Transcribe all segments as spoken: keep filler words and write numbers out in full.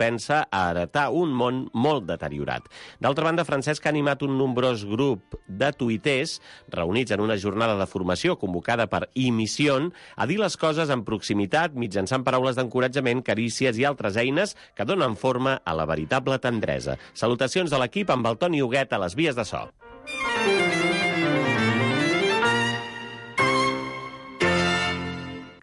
propensa a heretar un món molt deteriorat. D'altra banda, Francesc ha animat un nombrós grup de tuiters reunits en una jornada de formació convocada per I-Missió a dir les coses amb proximitat mitjançant paraules d'encoratjament, carícies i altres eines que donen forma a la veritable tendresa. Salutacions de l'equip amb el Toni Huguet a les vies de so.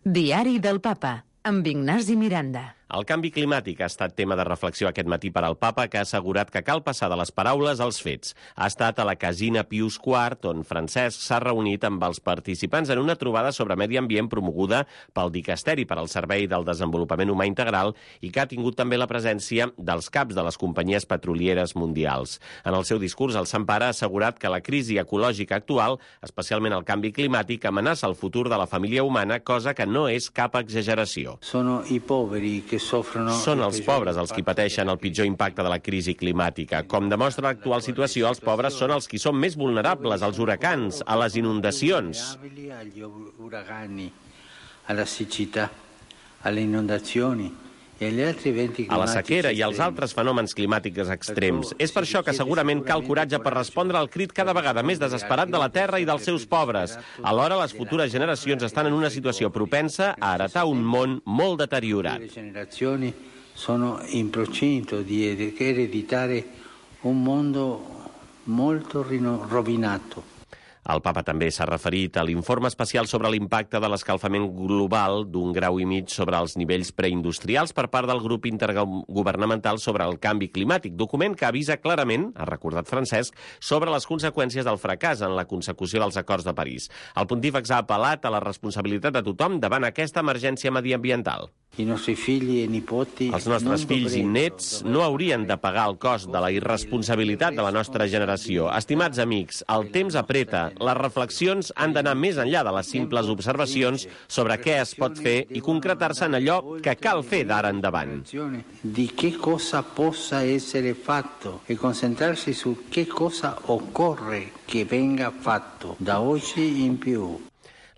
Diari del Papa, amb Ignasi Miranda. El canvi climàtic ha estat tema de reflexió aquest matí per al papa, que ha assegurat que cal passar de les paraules als fets. Ha estat a la Casina Pius quart, on Francesc s'ha reunit amb els participants en una trobada sobre medi ambient promoguda pel Dicasteri per al Servei del Desenvolupament Humà Integral i que ha tingut també la presència dels caps de les companyies petrolieres mundials. En el seu discurs, el Sant Pare ha assegurat que la crisi ecològica actual, especialment el canvi climàtic, amenaça el futur de la família humana, cosa que no és cap exageració. Sono i poveri que Són els pobres els qui pateixen el pitjor impacte de la crisi climàtica. Com demostra l'actual situació, els pobres són els qui són més vulnerables als huracans, a les inundacions. A la siccità, alle inondazioni, a la sequera i als altres fenòmens climàtics extrems. És per això que segurament cal coratge per respondre al crit cada vegada més desesperat de la Terra i dels seus pobres. Alhora, les futures generacions estan en una situació propensa a heretar un món molt deteriorat. Le generazioni sono in procinto di ereditare un mondo molto rovinato. El papa també s'ha referit a l'informe especial sobre l'impacte de l'escalfament global d'un grau i mig sobre els nivells preindustrials per part del grup intergovernamental sobre el canvi climàtic, document que avisa clarament, ha recordat Francesc, sobre les conseqüències del fracàs en la consecució dels acords de París. El pontífex ha apel·lat a la responsabilitat de tothom davant aquesta emergència mediambiental. I nostri figli e nipoti Els nostres fills i nets no haurien de pagar el cost de la irresponsabilitat de la nostra generació. Estimats amics, el temps apreta. Les reflexions han d'anar més enllà de les simples observacions sobre què es pot fer i concretar-se en allò que cal fer d'ara endavant. Di che cosa possa essere fatto e concentrarsi su che cosa occorre che venga fatto da oggi in più.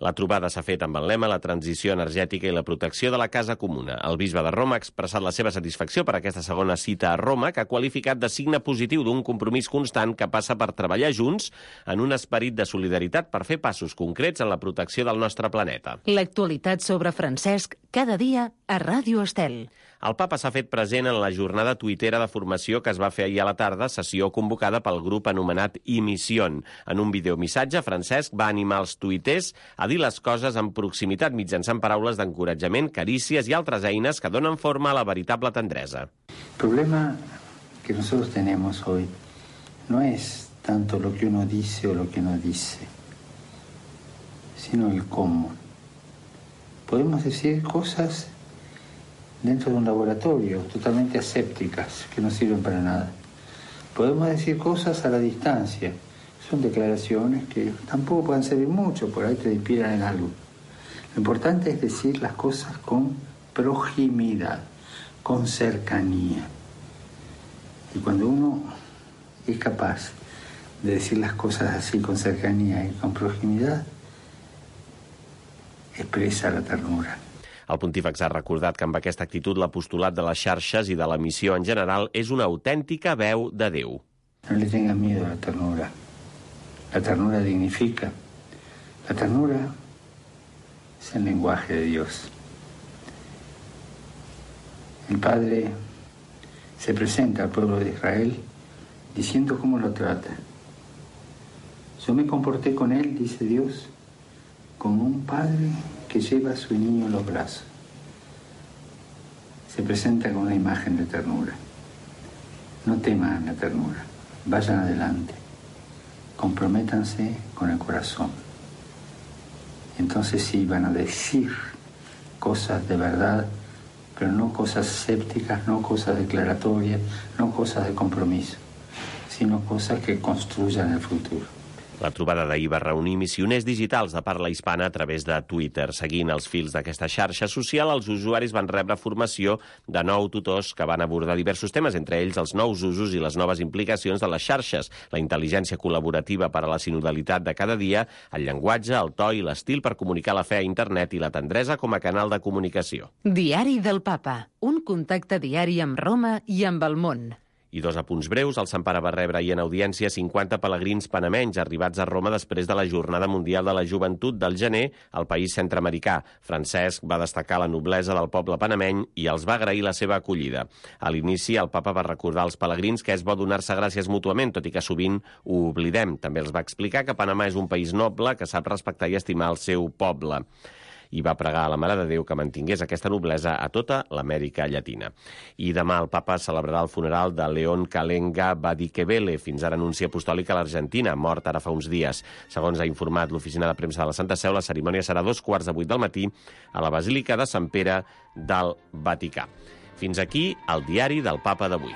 La trobada s'ha fet amb el lema la transició energètica i la protecció de la casa comuna. El bisbe de Roma ha expressat la seva satisfacció per aquesta segona cita a Roma, que ha qualificat de signe positiu d'un compromís constant que passa per treballar junts en un esperit de solidaritat per fer passos concrets en la protecció del nostre planeta. L'actualitat sobre Francesc cada dia a Ràdio Estel. El papa s'ha fet present en la jornada tuitera de formació que es va fer ahir a la tarda, sessió convocada pel grup anomenat I-Missió. En un videomissatge, Francesc va animar els tuiters a dir les coses amb proximitat mitjançant paraules d'encoratjament, carícies i altres eines que donen forma a la veritable tendresa. El problema que nosotros tenemos hoy no es tanto lo que uno dice o lo que no dice, sino el cómo. Podemos decir cosas dentro de un laboratorio totalmente asépticas, que no sirven para nada. Podemos decir cosas a la distancia. Son declaraciones que tampoco pueden servir mucho, por ahí te inspiran en algo. Lo importante es decir las cosas con proximidad, con cercanía. Y cuando uno es capaz de decir las cosas así con cercanía y con proximidad, expresa la ternura. El pontífex ha recordat que amb aquesta actitud l'apostolat de les xarxes i de la missió en general és una autèntica veu de Déu. No le tengan miedo a la ternura. La ternura dignifica. La ternura es el lenguaje de Dios. El Padre se presenta al pueblo de Israel diciendo cómo lo trata. Yo me comporté con él, dice Dios, como un padre que lleva a su niño en los brazos. Se presenta con una imagen de ternura. No teman la ternura, vayan adelante, comprométanse con el corazón. Entonces sí van a decir cosas de verdad, pero no cosas escépticas, no cosas declaratorias, no cosas de compromiso, sino cosas que construyan el futuro. La trobada d'ahir va reunir missioners digitals de parla hispana a través de Twitter. Seguint els fils d'aquesta xarxa social, els usuaris van rebre formació de nou tutors que van abordar diversos temes, entre ells els nous usos i les noves implicacions de les xarxes, la intel·ligència col·laborativa per a la sinodalitat de cada dia, el llenguatge, el to i l'estil per comunicar la fe a internet i la tendresa com a canal de comunicació. Diari del Papa, un contacte diari amb Roma i amb el món. I dos apunts breus. El Sant Pare va rebre ahir en audiència cinquanta pelegrins panamenys arribats a Roma després de la Jornada Mundial de la Joventut del gener al país centreamericà. Francesc va destacar la noblesa del poble panameny i els va agrair la seva acollida. A l'inici, el papa va recordar als pelegrins que és bo donar-se gràcies mútuament, tot i que sovint ho oblidem. També els va explicar que Panamà és un país noble que sap respectar i estimar el seu poble. I va pregar a la Mare de Déu que mantingués aquesta noblesa a tota l'Amèrica Llatina. I demà el papa celebrarà el funeral de León Calenga Badikebele, fins ara nunci apostòlic a l'Argentina, mort ara fa uns dies. Segons ha informat l'Oficina de Premsa de la Santa Seu, la cerimònia serà a dos quarts de vuit del matí a la Basílica de Sant Pere del Vaticà. Fins aquí el diari del Papa d'avui.